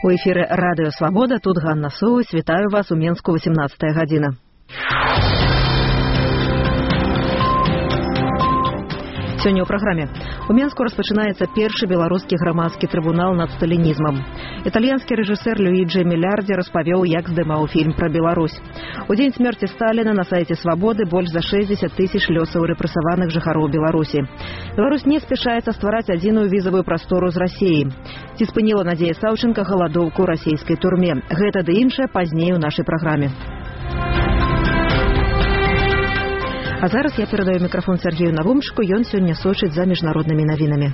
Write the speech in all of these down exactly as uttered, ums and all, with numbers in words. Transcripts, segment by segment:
У эфіры Радыё Свабода, тут Ганна Соўсь. Вітаю вас у Менску, восемнадцатая гадзіна. Сёння ў праграме. У Менску распачынаецца першы беларускі грамадскі трыбунал над сталінізмам. Італьянскі рэжысэр Люіджи Мелярди распавёў, як здымаў фільм пра Беларусь. У дзень смерці Сталіна на сайце Свабоды больш за шэсцьдзесят тысяч лёсаў рэпрэсаваных жыхароў Беларусі. Беларусь не спяшаецца ствараць адзіную візавую прастору з Расіяй. Ці спыніла Надзея Саўченка галадоўку ў расійскай турме? Гэта ды іншае пазней у нашай праграме. А зараз я перадаю мікрафон Сергею Навумчыку, ён сёння сочыць за міжнароднымі навінамі.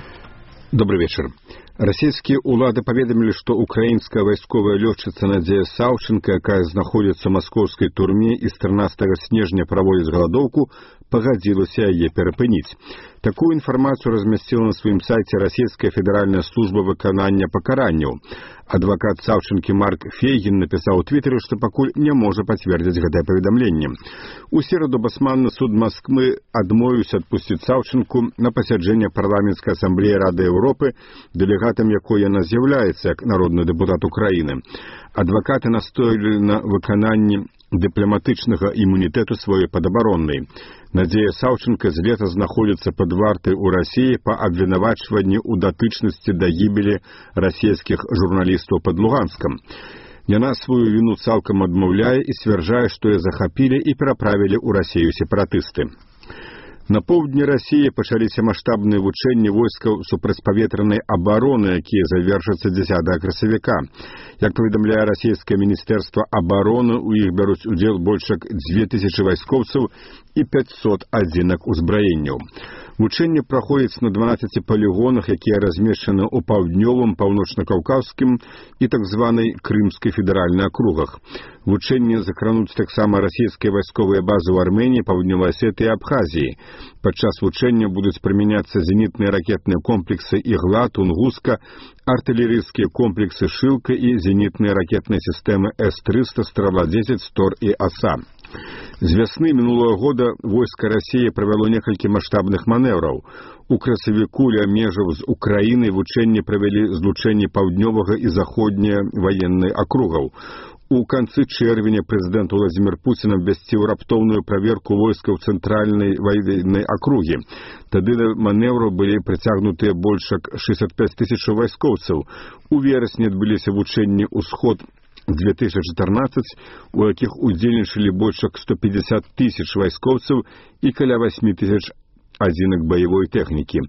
Добрый вечер. Расійскія ўлады паведамілі, што украінская вайсковая лётчыца Надзея Саўченка, якая знаходзіцца ў маскоўскай турме і з трынаццатага снежня праводзіць галадоўку, пагадзілася яе перапыніць. Такую інфармацыю размясціла на сваім сайце расійская федэральная служба выканання пакаранняў. Адвакат Саўченкі Марк Фейгін напісаў у твітары, што пакуль не можа пацвердзіць гэтае паведамленне. У сераду басманны суд Масквы адмовіўся адпусціць Саўченку на пасяджэнне парламенцкай асамблеі Рады Еўропы, дэлегатам якой яна з'яўляецца як народны дэпутат Украіны. Адвакаты настоялі на выкананні дыпламатычнага імунітэту сваёй падабароннай. Надзея Саўченка з лета знаходзіцца пад вартай у Расіі па абвінавачванні ў датычнасці да гібелі расійскіх журналістаў пад Луганскам. Яна сваю віну цалкам адмаўляе і сцвярджае, што яе захапілі і пераправілі ў Расію сепаратысты. На поўдні Расіі пачаліся маштабныя вучэнні войскаў супрацьпаветранай абароны, якія завершацца дзесятага красавіка. Як паведамляе расійскае міністэрства абароны, у іх бяруць удзел больш як дзве тысячы вайскоўцаў і пяцьсот адзінак узбраенняў. Вучэнні праходзяць на дванаццаці палігонах, якія размешчаны ў паўднёвым, паўночна-каўказскім і так званай Крымскай федэральнай акругах. Вучэнні закрануць таксама расійскія вайсковыя базы ў Арменіі, Паўднёвай Асетыі і Абхазіі. Падчас вучэння будуць прымяняцца зенітныя ракетныя комплексы «Ігла», «Тунгуска», артылерыйскія комплексы «Шылка» і зенітныя ракетныя сістэмы эс трыста, «Страла-дзесяць», «Стор» і «Аса». З вясны мінулага года войска Расіі правяло некалькі маштабных манеўраў. У красавіку ля межаў з Украінай вучэнні правялі злучэнні паўднёвага і заходняя ваеннай акругаў. У канцы чэрвеня прэзідэнт Уладзімір Пуцін абвясціў раптоўную праверку войскаў цэнтральнай ваеннай акругі. Тады да манеўраў былі прыцягнутыя больш як шэсцьдзесят пяць тысячаў вайскоўцаў. У верасні адбыліся вучэнні «Усход» две тысячи чатырнаццаць, у якіх удзельнічалі больш як сто пятьдесят тысяч вайскоўцаў і каля восемь тысяч адзінак баявой тэхнікі.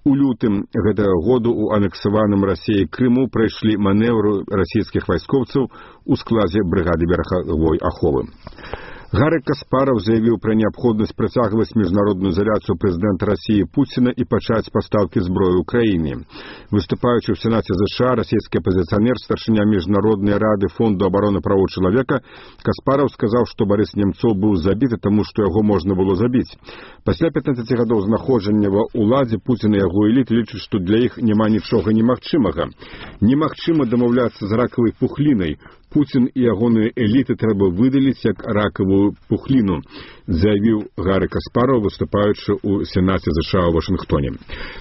У лютым гэтага году ў анексаваным Расіяй Крыму прайшлі манеўры расійскіх вайскоўцаў у складзе брыгады берагавой аховы. Гарык Каспаров заявіў пра неабходнасць працягваць міжнародную изоляцыю прэзідэнта Расіі Пуціна і пачаць пастаўкі зброі ўкраіне. Выступаючы ў Сенаце ЗША, расійскі апазіцыянер, старшыня міжнароднай рады Фонду абароны правоў чалавека, Каспаров сказаў, што Барыс Немцоў быў забіты, таму што яго можна было забіць. Пасля пятнаццаці гадоў знаходжання ва ўладзе Пуцін і яго эліты лічаць, што для іх няма нічога немагчымага. Немагчыма дамаўляцца з ракавай пухлінай. Пуцін і ягоныя эліты трэба выдаліць як ракавую пухліну, заявіў Гарык Каспаров, выступаючы ў Сенаце ЗША ў Вашынгтоне.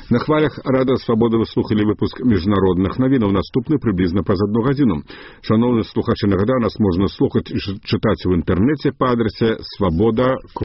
На хвалях Радыё Свабода вы слухалі выпуск міжнародных навінаў, наступны прыблізна праз адну гадзіну. Шановныя слухачы, нагадаю, нас можна слухаць і чытаць у інтэрнэце па адрасе свабода.